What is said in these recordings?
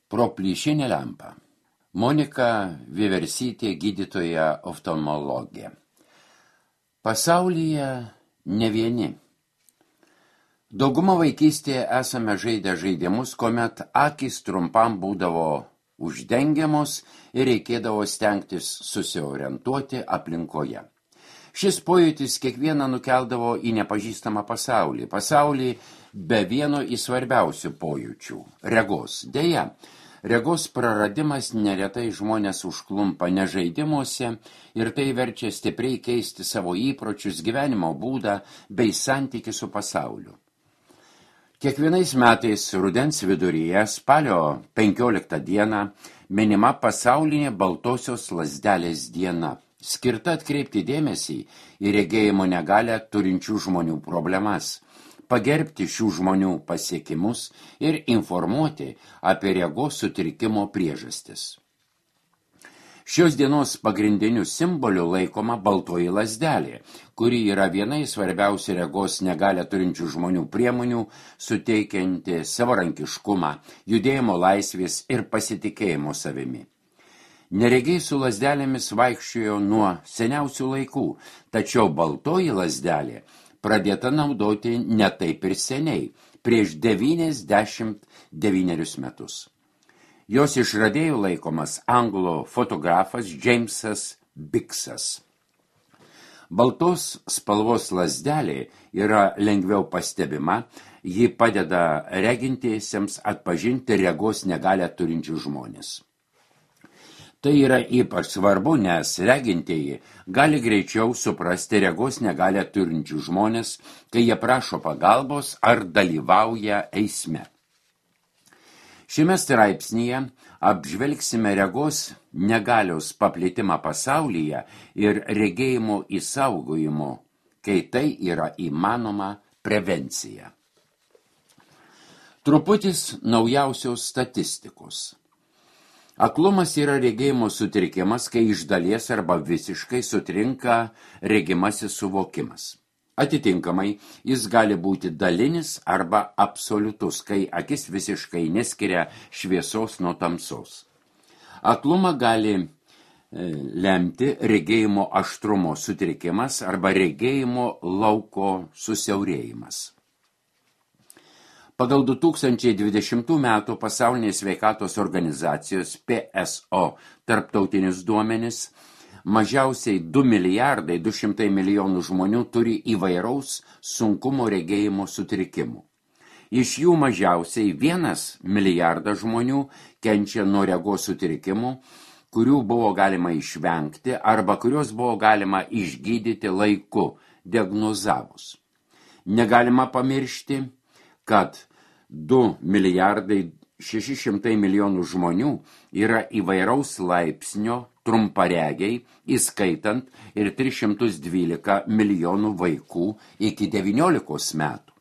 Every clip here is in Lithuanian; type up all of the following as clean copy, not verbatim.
Pro plyšinę lempą. Monika Vieversytė, gydytoja oftalmologė. Pasaulyje ne vieni. Dauguma vaikystėje esame žaidę žaidimus, kuomet akys trumpam būdavo uždengiamos ir reikėdavo stengtis susiorientuoti aplinkoje. Šis pojūtis kiekvieną nukeldavo į nepažįstamą pasaulį be vieno į svarbiausių pojūčių – regos. Deja, regos praradimas neretai žmonės užklumpa ne žaidimuose ir tai verčia stipriai keisti savo įpročius, gyvenimo būdą bei santykį su pasauliu. Kiekvienais metais rudens viduryje, spalio 15 dieną, minima pasaulinė baltosios lazdelės diena, skirta atkreipti dėmesį į regėjimo negalią turinčių žmonių problemas, pagerbti šių žmonių pasiekimus ir informuoti apie regos sutrikimo priežastis. Šios dienos pagrindiniu simboliu laikoma baltoji lazdelė, kuri yra viena iš svarbiausių regos negalią turinčių žmonių priemonių, suteikianti savarankiškumą, judėjimo laisvės ir pasitikėjimo savimi. Neregiai su lazdelėmis vaikščiojo nuo seniausių laikų, tačiau baltoji lazdelė pradėta naudoti ne taip ir seniai, prieš 99 metus. Jos išradėjų laikomas anglų fotografas Jamesas Biksas. Baltos spalvos lazdelė yra lengviau pastebima, ji padeda regintiesiems atpažinti regos negalią turinčių žmonės. Tai yra ypač svarbu, nes regintieji gali greičiau suprasti regos negalią turinčių žmonės, kai jie prašo pagalbos ar dalyvauja eisme. Šiame straipsnyje apžvelgsime regos negalios paplitimą pasaulyje ir regėjimo išsaugojimo, kai tai yra įmanoma prevencija. Truputis naujausios statistikos. Aklumas yra regėjimo sutrikimas, kai iš dalies arba visiškai sutrinka regimasis suvokimas. Atitinkamai, jis gali būti dalinis arba absoliutus, kai akis visiškai neskiria šviesos nuo tamsos. Aklumą gali lemti regėjimo aštrumo sutrikimas arba regėjimo lauko susiaurėjimas. Pagal 2020 metų Pasaulinės sveikatos organizacijos PSO tarptautinius duomenis, mažiausiai 2,2 milijonų žmonių turi įvairaus sunkumo regėjimo sutrikimų. Iš jų mažiausiai 1 milijardas žmonių kenčia nuo regos sutrikimų, kurių buvo galima išvengti arba kurios buvo galima išgydyti laiku, diagnozavus. Negalima pamiršti, kad 2,6 milijonų žmonių yra įvairaus laipsnio trumparegiai, įskaitant ir 312 milijonų vaikų iki 19 metų.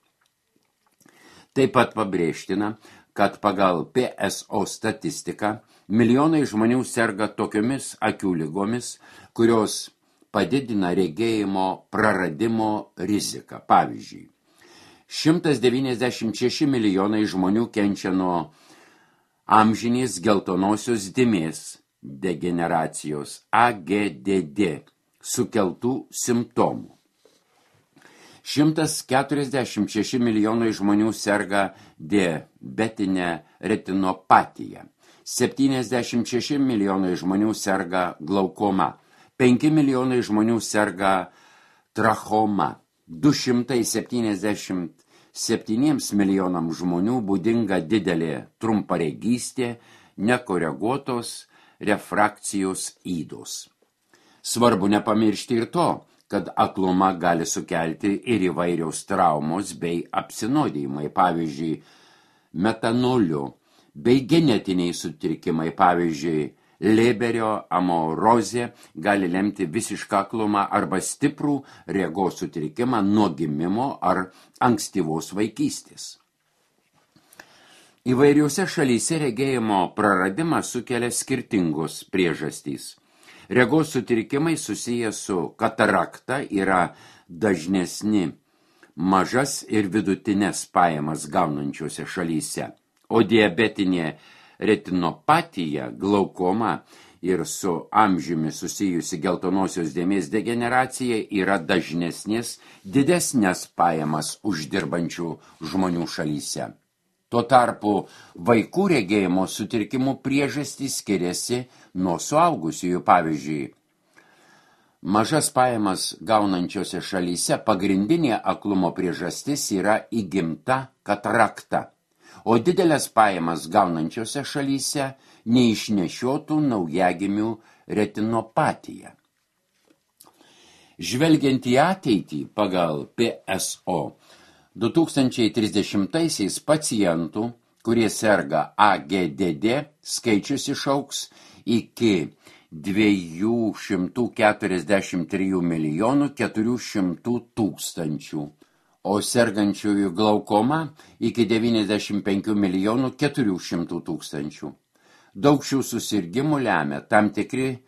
Taip pat pabrėžtina, kad pagal PSO statistiką milijonai žmonių serga tokiomis akių ligomis, kurios padidina regėjimo praradimo riziką. Pavyzdžiui, 196 milijonai žmonių kenčia nuo amžinės geltonosios dėmės degeneracijos AGDD sukeltų simptomų. 146 milijonai žmonių serga diabetinę retinopatiją. 76 milijonai žmonių serga glaukoma. 5 milijonai žmonių serga trachoma. 277 milijonams žmonių būdinga didelė trumparegystė, nekoreguotos refrakcijos ydos. Svarbu nepamiršti ir to, kad aklumą gali sukelti ir įvairios traumos bei apsinuodijimai, pavyzdžiui, metanoliu, bei genetiniai sutrikimai, pavyzdžiui, Leberio amorozė gali lemti visišką aklumą arba stiprų regos sutrikimą nuo gimimo ar ankstyvos vaikystės. Įvairiuose šalyse regėjimo praradimas sukelia skirtingos priežastys. Regos sutrikimai susiję su katarakta yra dažnesni mažas ir vidutinės pajamas gaunančiose šalyse, o diabetinė retinopatija, glaukoma ir su amžiumi susijusi geltonosios dėmės degeneracija yra dažnesnės didesnės pajamas uždirbančių žmonių šalyse. Tuo tarpu vaikų regėjimo sutrikimų priežastys skiriasi nuo suaugusiųjų. Pavyzdžiui, mažas pajamas gaunančiose šalyse pagrindinė aklumo priežastis yra įgimta katarakta, o didelės pajamas gaunančiose šalyse neišnešiotų naujagimių retinopatija. Žvelgiant į ateitį pagal PSO, 2030-aisiais pacientų, kurie serga AGDD, skaičius išauks iki 243 milijonų 400 tūkstančių, o sergančiųjų glaukoma iki 95 milijonų 400 tūkstančių. Daug šių susirgimų lemia tam tikri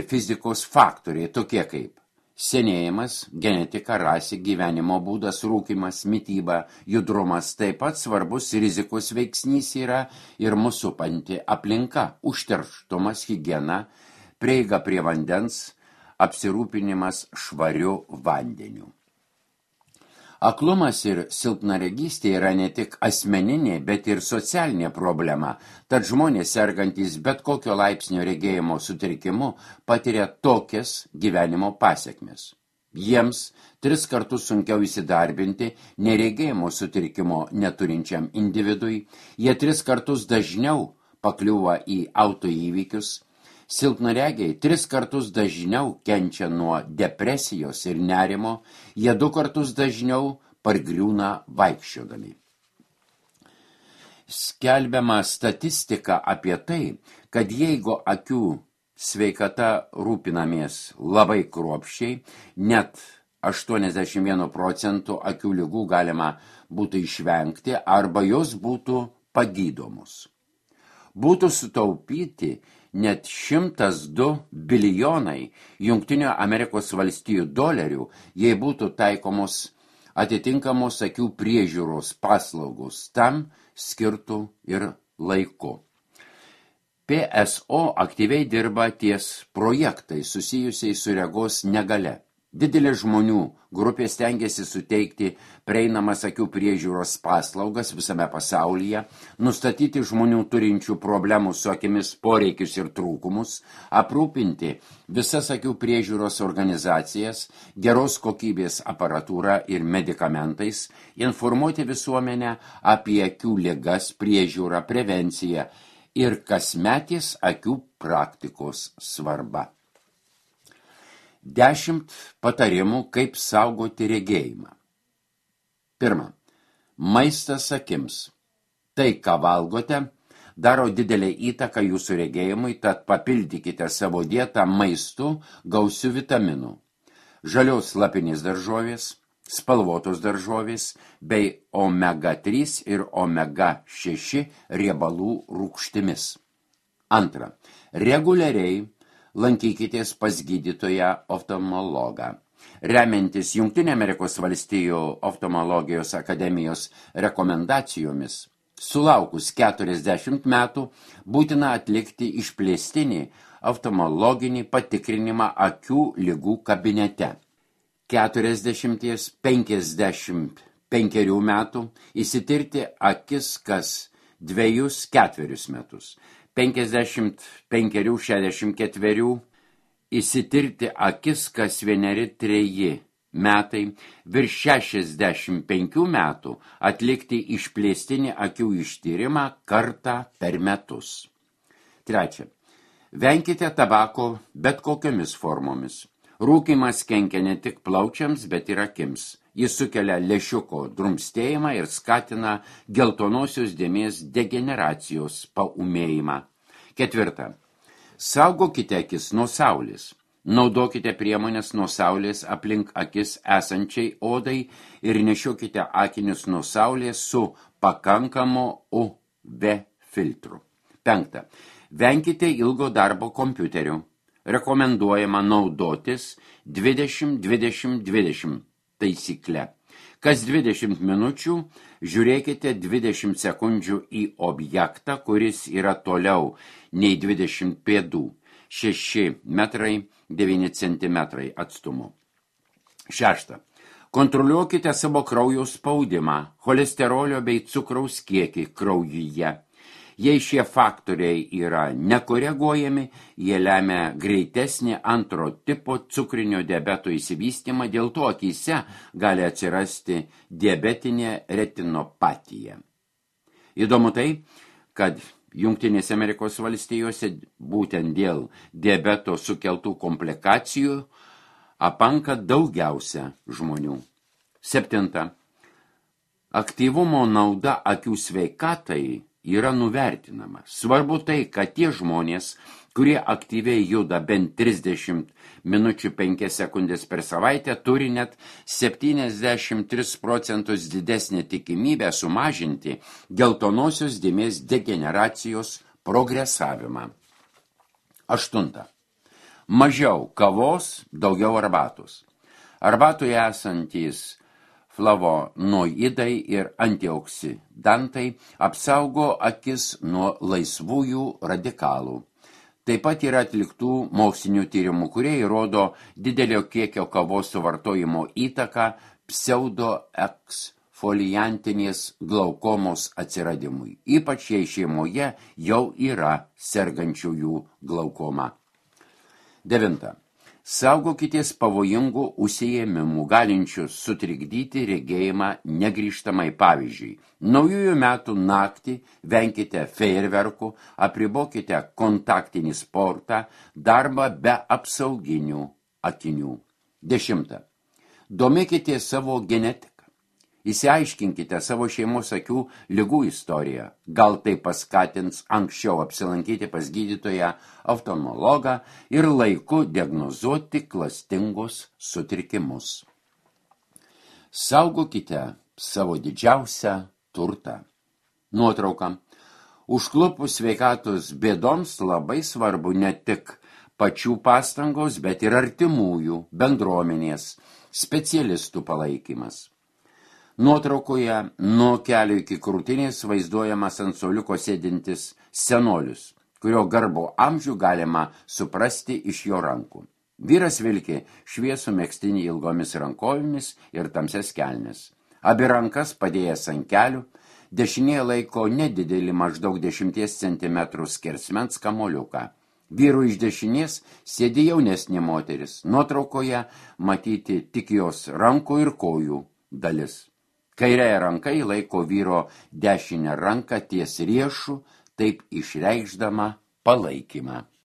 fizikos faktoriai, tokie kaip senėjimas, genetika, rasė, gyvenimo būdas, rūkymas, mityba, judrumas. Taip pat svarbus rizikos veiksnys yra ir mūsų supanti aplinka, užterštumas, higiena, prieiga prie vandens, apsirūpinimas švariu vandeniu. Aklumas ir silpnaregystė yra ne tik asmeninė, bet ir socialinė problema, tad žmonės sergantys bet kokio laipsnio regėjimo sutrikimu patiria tokias gyvenimo pasekmes. Jiems 3 kartus sunkiau įsidarbinti neregėjimo sutrikimo neturinčiam individui, jie 3 kartus dažniau pakliūva į autoįvykius, silpnaregiai 3 kartus dažniau kenčia nuo depresijos ir nerimo, jie 2 kartus dažniau pargriūna vaikščiodami. Skelbiama statistika apie tai, kad jeigu akių sveikata rūpinamies labai kruopščiai, net 81 procentų akių ligų galima būtų išvengti arba jos būtų pagydomos. Būtų sutaupyti net 102 bilijonai Jungtinių Amerikos valstijų dolerių, jei būtų taikomos atitinkamos akių priežiūros paslaugos tam skirtų ir laiku. PSO aktyviai dirba ties projektai susijusiai su regos negalia. Didelė žmonių grupė stengiasi suteikti prieinamas akių priežiūros paslaugas visame pasaulyje, nustatyti žmonių turinčių problemų su akimis poreikius ir trūkumus, aprūpinti visas akių priežiūros organizacijas, geros kokybės aparatūrą ir medikamentais, informuoti visuomenę apie akių ligas, priežiūrą, prevenciją ir kasmetės akių praktikos svarbą. 10 patarimų, kaip saugoti regėjimą. 1. Maistas akims. Tai, ką valgote, daro didelę įtaką jūsų regėjimui, tad papildykite savo dietą maistu gausiu vitaminų. Žalios lapinės daržovės, spalvotos daržovės bei omega-3 ir omega-6 riebalų rūgštimis. 2. Reguliariai lankykitės pas gydytoją oftalmologą. Remiantis Jungtinių Amerikos valstijų oftalmologijos akademijos rekomendacijomis, sulaukus 40 metų būtina atlikti išplėstinį oftalmologinį patikrinimą akių ligų kabinete. 40–55 metų įsitirti akis kas 2–4 metus. 55–64 įsitirti akis kas 1–3 metai, virš 65 metų atlikti išplėstinį akių ištyrimą kartą per metus. 3. Venkite tabako bet kokiomis formomis. Rūkymas kenkia ne tik plaučiams, bet ir akims. Jis sukelia lęšiuko drumstėjimą ir skatina geltonosios dėmės degeneracijos paūmėjimą. 4. Saugokite akis nuo saulės. Naudokite priemonės nuo saulės aplink akis esančiai odai ir nešiokite akinius nuo saulės su pakankamo UV filtru. 5. Venkite ilgo darbo kompiuteriu. Rekomenduojama naudotis 20-20-20 taisykle. Kas 20 minučių žiūrėkite 20 sekundžių į objektą, kuris yra toliau nei 20 pėdų, 6 metrai 9 centimetrai atstumu. 6. Kontroliuokite savo kraujo spaudimą, cholesterolio bei cukraus kiekį kraujyje. Jei šie faktoriai yra nekoreguojami, jie lemia greitesnį antro tipo cukrinio diabeto įsivystymą, dėl to akyse gali atsirasti diabetinė retinopatija. Įdomu tai, kad Jungtinėse Amerikos valstijose būtent dėl diabeto sukeltų komplikacijų apanka daugiausia žmonių. 7. Aktyvumo nauda akių sveikatai yra nuvertinama. Svarbu tai, kad tie žmonės, kurie aktyviai juda bent 30 minučių 5 sekundės per savaitę, turi net 73% didesnę tikimybę sumažinti geltonosios dėmės degeneracijos progresavimą. 8. Mažiau kavos, daugiau arbatos. Arbatoje esantys flavonoidai ir antioksidantai apsaugo akis nuo laisvųjų radikalų. Taip pat yra atliktų mokslinių tyrimų, kurie įrodo didelio kiekio kavos suvartojimo įtaką pseudoeksfoliantinės glaukomos atsiradimui, ypač jei šeimoje jau yra sergančiųjų glaukoma. 9. Saugokitės pavojingų užsiėmimų, galinčių sutrikdyti regėjimą negrįžtamai. Pavyzdžiui, naujųjų metų naktį venkite fejerverkų, apribokite kontaktinį sportą, darbą be apsauginių akinių. 10. Domėkite savo genetiką. Įsiaiškinkite savo šeimos akių ligų istoriją. Gal tai paskatins anksčiau apsilankyti pas gydytoją oftalmologą ir laiku diagnozuoti klastingus sutrikimus. Saugokite savo didžiausią turtą. Nuotrauka. Užklupus sveikatos bėdoms labai svarbu ne tik pačių pastangos, bet ir artimųjų, bendruomenės, specialistų palaikymas. Nuotraukoje nuo kelio iki krūtinės vaizduojamas ant suoliuko sėdintis senolius, kurio garbo amžių galima suprasti iš jo rankų. Vyras vilki šviesų megztinį ilgomis rankovėmis ir tamsias kelnes. Abi rankas padėjęs ant kelių, dešinėje laiko nedidelį maždaug 10 cm skersmens kamuoliuką. Vyrų iš dešinės sėdi jaunesnė moteris. Nuotraukoje matyti tik jos rankų ir kojų dalis. Kairėje ranka laiko vyro dešinę ranką ties riešų, taip išreikšdama palaikymą.